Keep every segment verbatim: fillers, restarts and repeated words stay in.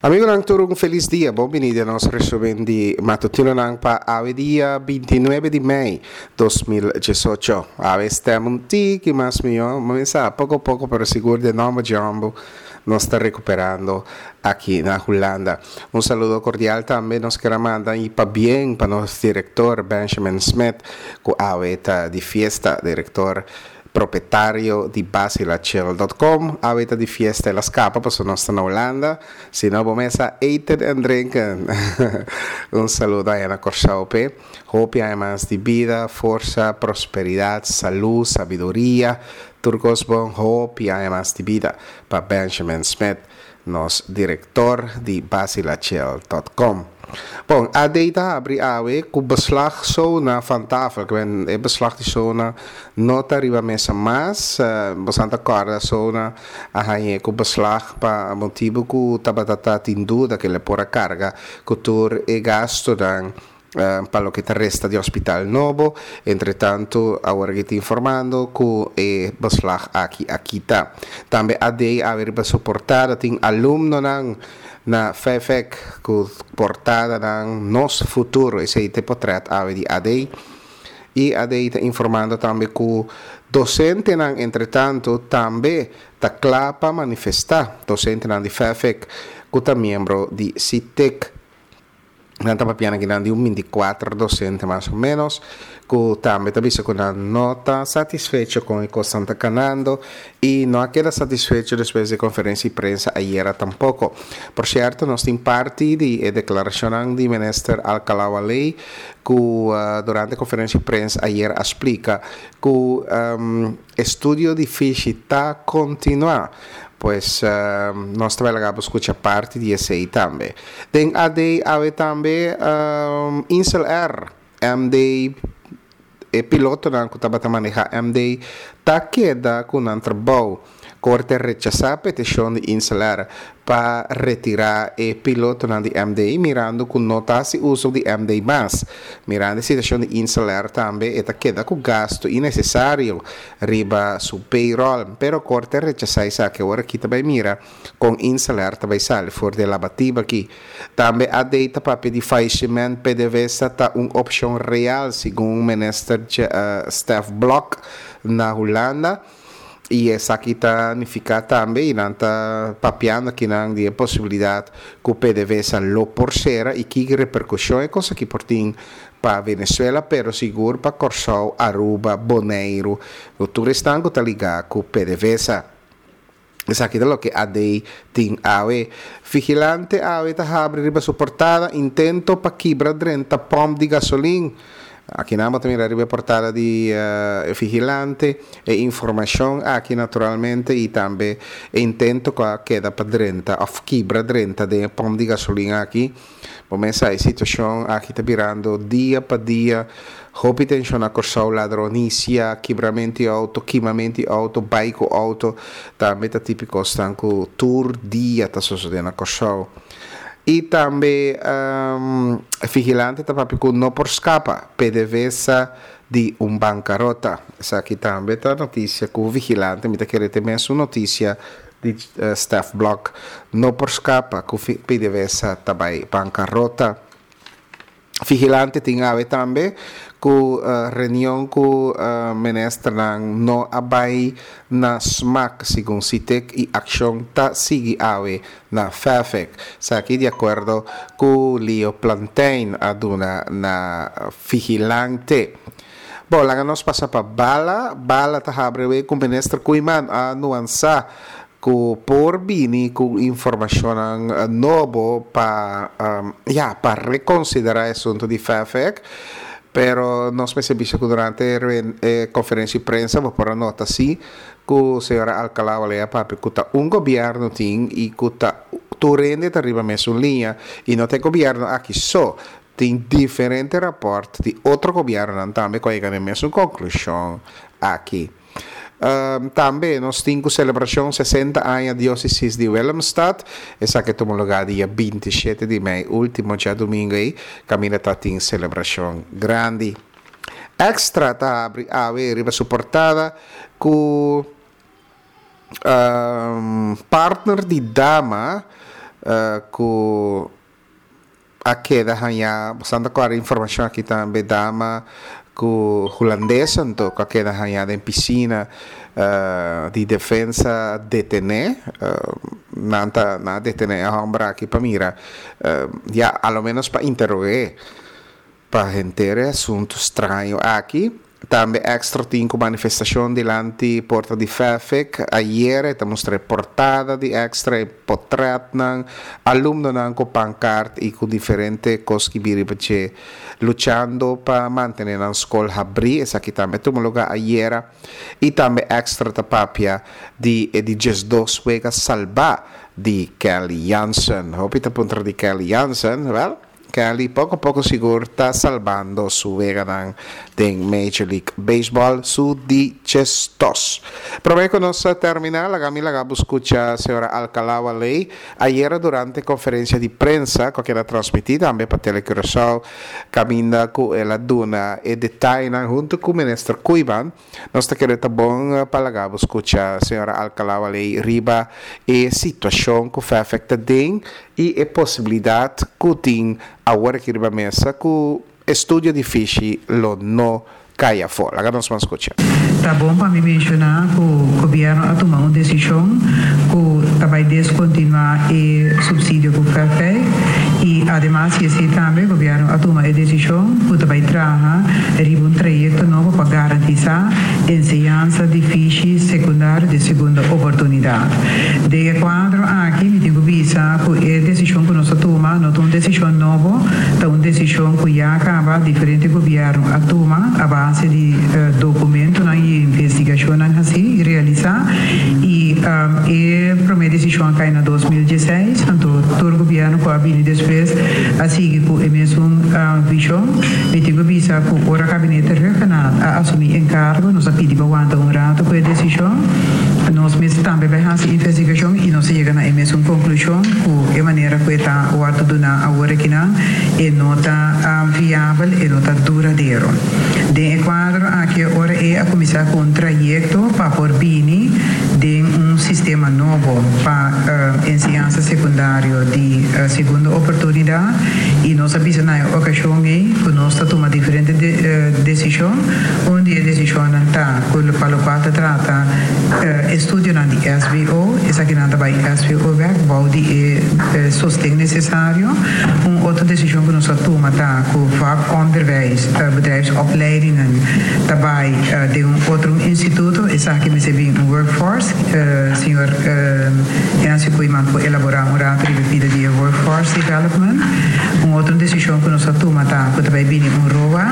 Amigonan tur, un felis dia. Bon bini den nos resumen di matutinonan pa awe dia binti nuebe di mei dos mil diesocho. Awe stem un tiki mas mihó, mi sa poko poko pero sigur den nomber dje homber nos ta rekuperando aki na Hulanda. Un saludo kordial tambe nos kier a manda i pabien pa nos direktor Benjamin Smith ku awe ta di fiesta. Direktor propietario di Basilachel dot com awe ta di fiesta, el a scapa pasobra nos ta na Hulanda, si no bo mes a eten en drinken. Un saludo aya na Corsou p'e. Hopi aña mas di bida, forsa, prosperidad, salud, sabiduria, tur cos bon. Hopi aña mas di bida pa Benjamin Smith, nos director di Basilachel dot com. Bon, A D ta habri awe ku beslag sona van tafel. Ku e beslag di sona no ta riba mesa mas. Bo santa korda sona a hañe ku beslag pa motibu ku tabata ta tin duda ke le por a karga ku tur e gastonan pa loke ta resta di hospital nobo. Entre tanto, awor aki ta informando ku e beslag aki a kita. Tambe A D awe riba su portada tin alumnonan na F F E C ku portadanan Nos Futuro. Esei te portret awe di A D. I A D ta informando tambe ku docentenan entre tanto tambe ta kla pa manifesta. Docentenan di F F E C ku ta miembro di C I T E C. Nan ta papiando aki nan di un veinticuatro docente mas o menos, ku tambe ta bisa ku nan no ta satisfecho con e cos nan ta ganando y no a queda satisfecho después de conferencia de prensa ayer tampoco. Por cierto, nos tin parte di e declaración di minister Alcalá Wallé, ku, uh, durante conferencia de prensa ayer a explica ku, um, estudio di fishi ta continua. Pues, uh, nos ta bai escucha parte di esei tambe. Den A D awe tambe, um, Insel Air, M D, e pilotonan ku tabata maneha M D, ta keda ku nan trabou. Korte rechasa petishon di Insel Air pa retira e pilotonan di M D, mirando ku no ta hasi uso di M D mas. Mirando e situashon di Insel Air tambe, e ta keda ku gasto innecesario riba su payroll. Pero korte rechasa esaki. Awor aki ta bai mira kon Insel Air ta bai sali for di labatiba aki. Tambe A D ta papia di falleciment P D V S A ta un opshon real, segun minister, eh, Stef Blok na Hulanda. I esaki ta nifiká tambe, i nan ta papiando aki nan di e posibilidat ku P D V S A lo por sera i ki reperkushon e kos aki por tin pa Venezuela, pero sigur pa Kòrsou, Aruba, Boneiru, ku tur esnan ku ta ligá ku P D V S A. Esaki ta loke A D tin awe. Vigilante awe ta habri riba su portada intento pa kibra drenta pòmp di gasolin. Aki nan bo ta mira riba e portada di, eh, Vigilante, e informashon aki naturalmente i tambe e intento ku a keda pa drenta òf kibra drenta den e pòmp di gasolin aki. Bo mesa e situashon aki ta birando dia pa dia. Hopi tenshon na Kòrsou, ladronisia, kibramento di outo, kimamento di outo, bai ku outo, tambe ta típiko stan ku tur dia ta suceder na Kòrsou. I tambe, um, Vigilante ta papia ku no por skapa, P D V S A di un bankarota. Esaki tambe ta notisia ku Vigilante, mi ta kere te mes un notisia di, eh, Stef Blok, no por skapa ku P D V S A ta bai bankarota. Vigilante tin awe tambe ku, eh, reunion ku, eh, ministernan no a bai na smak segun C I T E C i akshon ta sigui awe na F E F E C. Esaki di akuerdo ku Leo Plantein a duna na Vigilante. Bon, laga nos pasa pa Bala. Bala ta habri we ku minister Koeiman a nuansa ku por bini ku informashonnan, eh, nobo pa, um, ja, pa rekonsiderá e asuntu di F E F E C. Pero nos mester bisa ku durante e, eh, konferensia di prensa bo por a nota si ku señora Alcalá Wallé a papia ku ta un gobierno tin i ku ta tur hende ta riba mes un liña i no ta e gobierno aki so. Tin diferente rapport di otro gobiernonan tambe ku a yega na e mesun konklushon aki. Ehm, tambe nos tin ku selebrashon sesenta aña diócesis di Willemstad. Esaki tuma lugá dia veintisiete di mei, último djadumingu ei, kaminda ta tin selebrashon grandi. Extra ta habri awe riba su portada ku, ehm, partner di dama uh, ku a keda haña, basando ku informashon aki tambe, dama ku hulandes anto ku a keda haña den pisina uh, di Defensa detené, uh, nan ta nan a detené e hòmber aki pa mira, uh, ya, a lo menos pa interog'é pa henter e asuntu straño aki. Tambe Extra tin ku manifestashon dilanti porta di F E F E C. Ayera ta mustra portada di Extra, portretnan, alumnonan ku pankarta i ku diferente kos ku biri pache luchando pa mantené e skol habrí. Esaki tambe a tuma lugá ayera. I tambe Extra ta papia di di diesdos wega salbá di Kenley Jansen. Hopi ta puntra di Kenley Jansen. Well, Kenley poko poko sigur ta salbando su weganan den Major League Baseball, su di diesdos. Promé ku nos terminá, laga mi laga bo skucha señora Alcalá-Wallé ayera durante konferensia di prensa ku a keda transmití tambe pa Telecuraçao, kaminda ku el a duna e detaye huntu ku minister Koeiman. Nos ta kere ta bon pa laga bo skucha señora Alcalá-Wallé riba e situashon ku F E F E C ta den i e posibilidat ku tin awor aki riba mesa ku estudio di fishi lo no kai afó. Laga nos ban skucha. Ta bon pa mi menshoná ku gobièrnu a tuma un desishon ku ta bai deskontinuá e supsidio ku F E F E C i ademas esei tambe gobièrnu a tuma e desishon ku ta bai traha riba un trayekto nobo pa garantisá enseñansa di fishi sekundario di segunda oportunidat. Den e kuadro aki mi tin ku bisa ku e desishon ku nos a tuma no ta un desishon nobo, ta un desishon ku ya kaba diferente gobièrnu a tuma a base di uh, dokumentonan i investigashonnan asina realisá i um, e promé desishon a kai na dos mil diesseis, anto tur gobièrnu ku a bini despues a sigui ku e mesun uh, vishon. Mi tin ku bisa ku ora gabinete Rhuggenaath a asumí enkargo, nos a pidi pa wanta un ratu ku e desishon. Nos mes tambe a bai hasi investigashon i nos a yega na e mesun konklushon ku e manera ku ta wòrdu duná awor akinan e no ta um, viabel e no ta duradero. Den e kuadro aki ora ei a kuminsá ku un trayekto pa por bini den un sistema nobo pa uh, enseñansa sekundario di uh, segunda oportunidat i nos a bisa na e okashon ei ku nos a tuma diferente de, uh, desishon. Un di e desishonnan ta ku pa loke ta trata uh, estudionan di S B O, esakinan ta bai S B O bèk bou di e sosten nesesario. Un otro desishon ku nos a tuma ta ku vakonderwijs, uh, bedrijfsopleidingen ta bai uh, den un otro instituto. Esaki mester bin un workforce. uh, señor uh, Nancy Koeiman por elaborá un ratu riba di workforce development. Un otro desishon ku nos a tuma ta ku bai bini un R O A.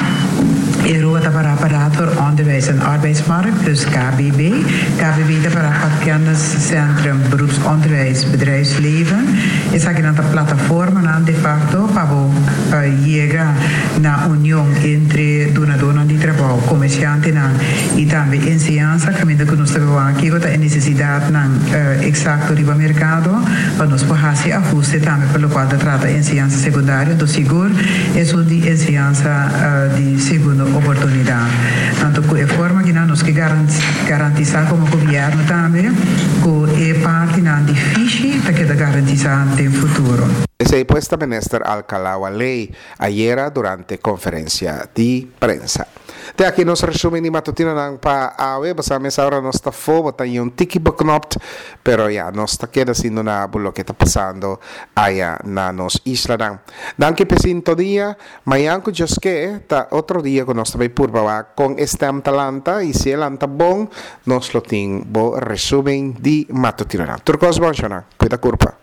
E R O A ta para pa Raad voor Onderwijs en Arbeidsmarkt, dus K B B. K B B ta para pa Kenniscentrum Beroepsonderwijs Bedrijfsleven. Esakinan ta plataformanan de facto pa uh, yega na union entre dunadónan di trabou, komersiantenan i tambe enseñansa, kaminda ku nos tambe aki ta e nesesidatnan uh, eksakto riba merkado, pa nos por hasi ahuste tambe pa loke ta trata enseñansa sekundario, anto sigur esun di enseñansa uh, di segunda oportunidat. Anto, ku e forma ku nos ke garantisá komo gobièrnu tambe, ku e partinan di fishi ta keda garantisá den futuro. Esei pues ta minister Alcalá-Wallé ayera durante konferensia di prensa. Te aki nos resumen di matutinonan pa awe, basta mes ora nos ta fobo ta un tiki beknopt, pero ya, nos ta keda siendo na loke ta pasando aya na nos islanan. Danki pa sintonia, mañan ku Dios ke, ta otro dia ku nos ta bai purba kon e stem ta lanta i si e lanta bon, nos lo tin bo resumen di matutinonan. Tur kos bon, shona. Kuida kurpa.